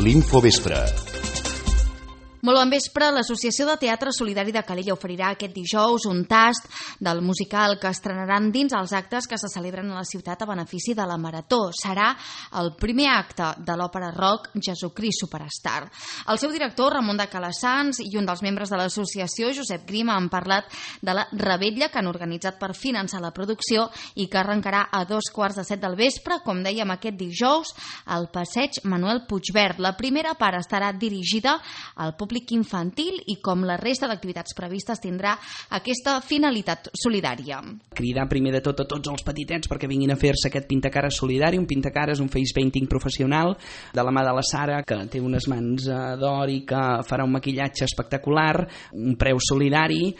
l'Infovespre. Molt bon vespre. L'Associació de Teatre Solidari de Calella oferirà aquest dijous un tast del musical que estrenaran dins els actes que se celebren a la ciutat a benefici de la Marató. Serà el primer acte de l'òpera rock Jesucrist Superstar. El seu director, Ramon de Calassans, i un dels membres de l'associació, Josep Grima, han parlat de la revetlla que han organitzat per finançar la producció i que arrencarà a 7:15 del vespre, com dèiem aquest dijous, al passeig Manuel Puigverd. La primera part estarà dirigida al públic infantil i, com la resta d'activitats previstes, tindrà aquesta finalitat solidària. Cridar primer de tot a tots els petitets perquè vinguin a fer-se aquest pintacares solidari. Un pintacares, un face painting professional de la mà de la Sara, que té unes mans d'or i que farà un maquillatge espectacular, un preu solidari,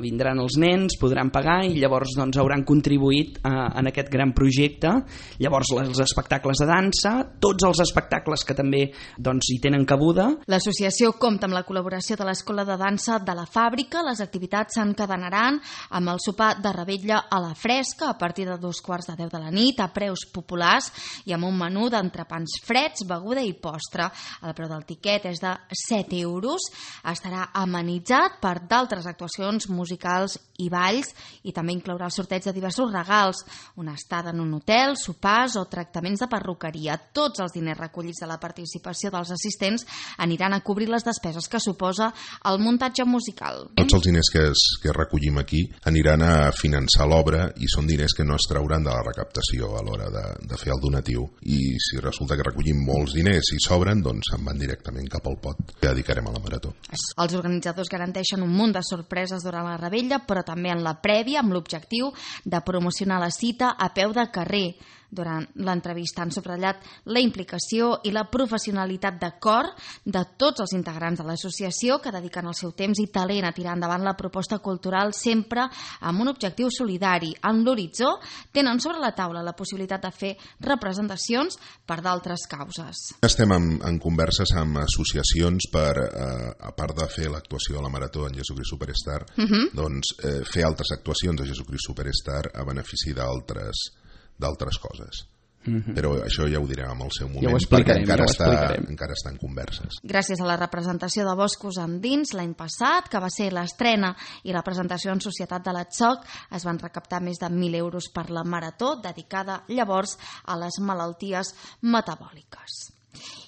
vindran els nens, podran pagar i llavors hauran contribuït en aquest gran projecte. Llavors els espectacles de dansa, tots els espectacles que també hi tenen cabuda. L'associació compta amb la col·laboració de l'Escola de Dansa de la Fàbrica. Les activitats s'encadenaran amb el sopar de revetlla a la fresca a partir de 9:45 de la nit, a preus populars i amb un menú d'entrepans freds, beguda i postre. El preu del tiquet és de 7 euros. Estarà amenitzat per d'altres actuacions musicals i balls i també inclourà el sorteig de diversos regals, una estada en un hotel, sopars o tractaments de perruqueria. Tots els diners recollits de la participació dels assistents aniran a cobrir les despeses que suposa el muntatge musical. Tots els diners que recollim aquí aniran a finançar l'obra i són diners que no es trauran de la recaptació a l'hora de fer el donatiu. I si resulta que recollim molts diners i sobren, doncs se'n van directament cap al pot que dedicarem a la Marató. Els organitzadors garanteixen un munt de sorpreses durant la revetlla, però també en la prèvia, amb l'objectiu de promocionar la cita a peu de carrer. Durant l'entrevista han subratllat la implicació i la professionalitat de cor de tots els integrants de l'associació, que dediquen el seu temps i talent a tirar endavant la proposta cultural, sempre amb un objectiu solidari. En l'horitzó tenen sobre la taula la possibilitat de fer representacions per d'altres causes. Estem en converses amb associacions per, a part de fer l'actuació de la Marató en Jesucrist Superstar, fer altres actuacions de Jesucrist Superstar a benefici d'altres coses. Però això ja ho direm en el seu moment, perquè encara està en converses. Gràcies a la representació de Boscos Endins l'any passat, que va ser l'estrena i la presentació en societat de l'Atsoc, es van recaptar més de 1.000 euros per la Marató, dedicada llavors a les malalties metabòliques.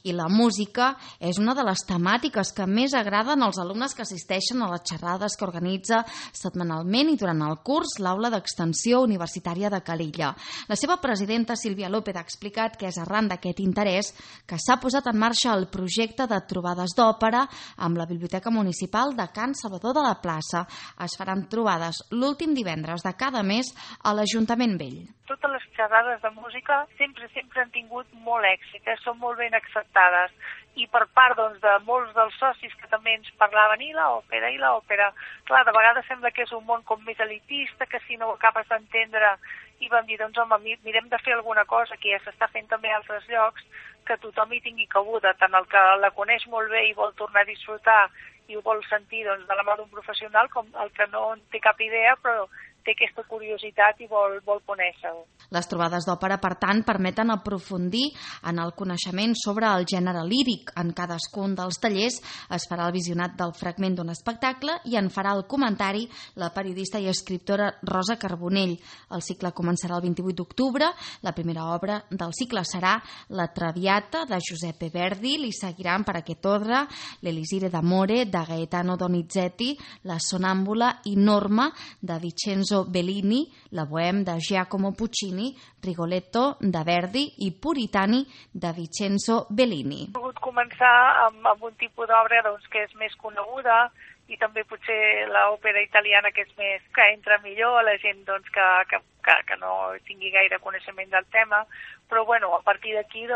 I la música és una de les temàtiques que més agraden als alumnes que assisteixen a les xerrades que organitza setmanalment i durant el curs l'Aula d'Extensió Universitària de Calella. La seva presidenta, Sílvia López, ha explicat que és arran d'aquest interès que s'ha posat en marxa el projecte de trobades d'òpera amb la Biblioteca Municipal de Can Salvador de la Plaça. Es faran trobades l'últim divendres de cada mes a l'Ajuntament Vell. Totes les xerrades de música sempre han tingut molt èxit, són molt ben acceptades, i per part de molts dels socis que també ens parlaven i l'òpera, clar, de vegades sembla que és un món com més elitista, que si no ho acabes d'entendre, i vam dir, mirem de fer alguna cosa que ja s'està fent també a altres llocs, que tothom hi tingui cabuda, tant el que la coneix molt bé i vol tornar a disfrutar i ho vol sentir de la mà d'un professional, com el que no en té cap idea però té aquesta curiositat i vol conèixer-ho. Les trobades d'òpera, per tant, permeten aprofundir en el coneixement sobre el gènere líric. En cadascun dels tallers es farà el visionat del fragment d'un espectacle i en farà el comentari la periodista i escriptora Rosa Carbonell. El cicle començarà el 28 d'octubre. La primera obra del cicle serà La Traviata, de Giuseppe Verdi. Li seguiran per aquest ordre l'Elisire d'Amore, de Gaetano Donizetti, La Sonàmbula i Norma, de Vincenzo Bellini, La Bohème, de Giacomo Puccini, Rigoletto, de Verdi i Puritani, de Vincenzo Bellini. He volgut començar amb un tipus d'obra que és més coneguda i també potser l'òpera italiana que entra millor a la gent que no tingui gaire coneixement del tema, però a partir d'aquí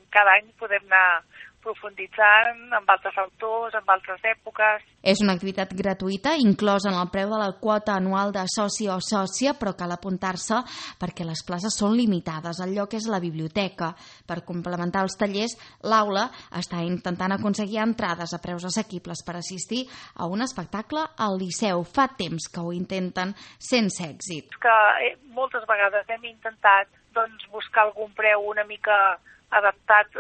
cada any podem anar profunditzant amb altres autors, amb altres èpoques. És una activitat gratuïta, inclosa en el preu de la quota anual de soci o sòcia, però cal apuntar-se perquè les places són limitades. El lloc és la biblioteca. Per complementar els tallers, l'aula està intentant aconseguir entrades a preus assequibles per assistir a un espectacle al Liceu. Fa temps que ho intenten sense èxit. Moltes vegades hem intentat buscar algun preu una mica adaptat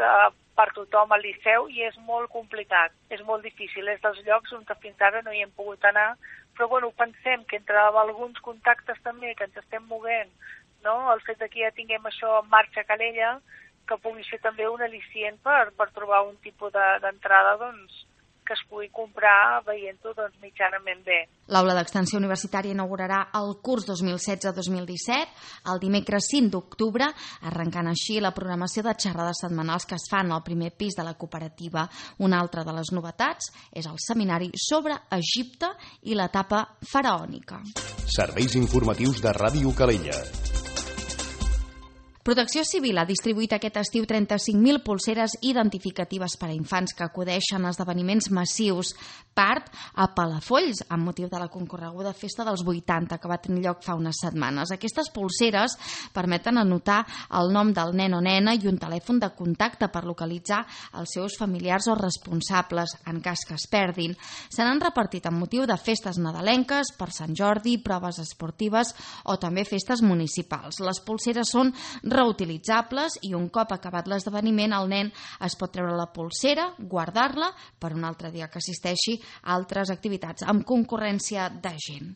per tothom al Liceu i és molt complicat, és molt difícil, és dels llocs on fins ara no hi hem pogut anar, però bueno, pensem que entre alguns contactes també que ens estem movent, no? El fet que ja tinguem això en marxa a Calella, que pugui ser també un al·licient per trobar un tipus d'entrada doncs, que es pugui comprar veient-ho doncs, mitjanament bé. L'Aula d'Extensió Universitària inaugurarà el curs 2016-2017 el dimecres 5 d'octubre, arrencant així la programació de xerrades setmanals que es fan al primer pis de la cooperativa. Una altra de les novetats és el seminari sobre Egipte i l'etapa faraònica. Serveis informatius de Ràdio Calella. Protecció Civil ha distribuït aquest estiu 35.000 polseres identificatives per a infants que acudeixen a esdeveniments massius, part a Palafolls, amb motiu de la concorreguda Festa dels 80, que va tenir lloc fa unes setmanes. Aquestes polseres permeten anotar el nom del nen o nena i un telèfon de contacte per localitzar els seus familiars o responsables en cas que es perdin. Se n'han repartit amb motiu de festes nadalenques, per Sant Jordi, proves esportives o també festes municipals. Les polseres són reutilitzables i un cop acabat l'esdeveniment el nen es pot treure la polsera, guardar-la per un altre dia que assisteixi a altres activitats amb concurrència de gent.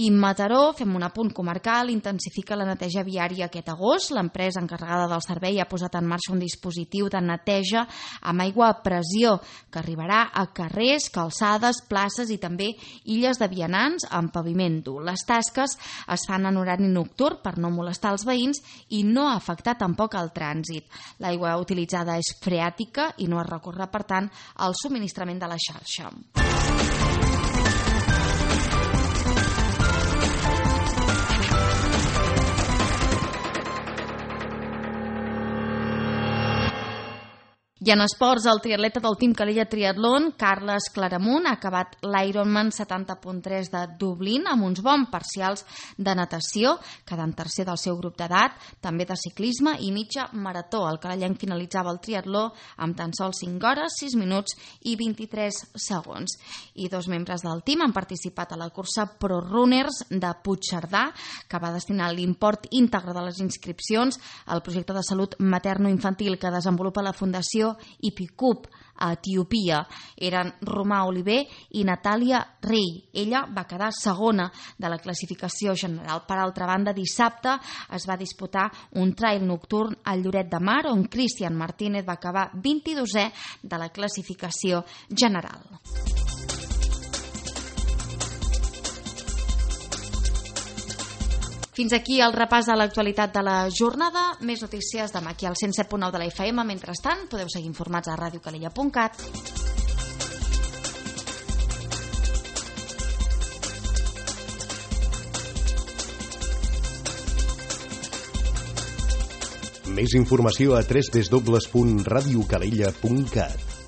I Mataró, fem un apunt comarcal, intensifica la neteja viària aquest agost. L'empresa encarregada del servei ha posat en marxa un dispositiu de neteja amb aigua a pressió que arribarà a carrers, calçades, places i també illes de vianants amb paviment dur. Les tasques es fan en horari nocturn per no molestar els veïns i no afectar tampoc el trànsit. L'aigua utilitzada és freàtica i no es recorre, per tant, al subministrament de la xarxa. I en esports, el triatleta del Team Calella Triatlon, Carles Claramunt, ha acabat l'Ironman 70.3 de Dublín amb uns bons parcials de natació, quedant tercer del seu grup d'edat, també de ciclisme i mitja marató. El calellenc finalitzava el triatló amb tan sols 5 hores, 6 minuts i 23 segons. I 2 membres del team han participat a la cursa Pro Runners de Puigcerdà, que va destinar l'import íntegre de les inscripcions al projecte de salut materno-infantil que desenvolupa la Fundació Ipicup a Etiòpia. Eren Romà Oliver i Natàlia Rey. Ella va quedar segona de la classificació general. Per altra banda, dissabte es va disputar un trail nocturn al Lloret de Mar, on Cristian Martínez va acabar 22è de la classificació general. Fins aquí el repàs de l'actualitat de la jornada. Més notícies demà aquí al 107.9 de la FM. Mentrestant, podeu seguir informats a radiocalella.cat. Més informació a www.radiocalella.cat.